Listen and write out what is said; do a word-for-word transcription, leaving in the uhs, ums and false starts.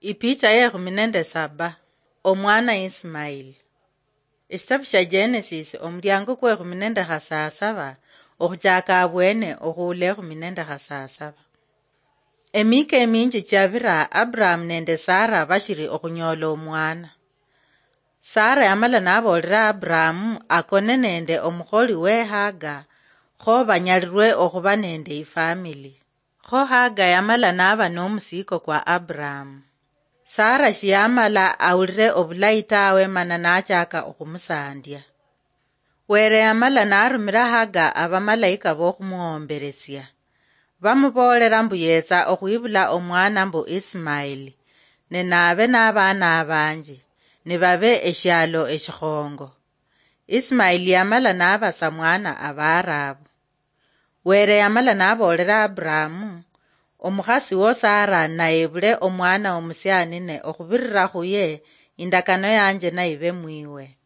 Ipicha yekhumi nende saba. Omwana Ismaili. Eshitabu shia Genesis, omuliango kwekhumi nende khasasaba, okhuchaka abwene okhuula ekhumi nende khasasaba. Emika eminji chiabira, Aburahamu nende Sara bashiri okhunyola omwana. Sara yamala naboolera Aburahamu akone nende omukholi we Haga, kho banyalirwe okhuba nende ifamili. Kho Haga yamala naba nomusiko kwa Aburahamu. Sara shiyamala awulire obulayi tawe, mana nachaka okhumusandia. Were yamala narumira Haga abamalayika bokhumuhomberesia. Bamuboolera mbu yetsa okhwibula omwana mbu Ismaili, ne nabe nabaana abanji, nibabe eshialo eshikhongo. Ismaili yamala naba sa mwana Abaarabu. Were yamala naboolera Aburahamu, omukhasi wo Sara nayebule omwana omusianine okhubirira khuye, indakano yanje nayibe mwiwe.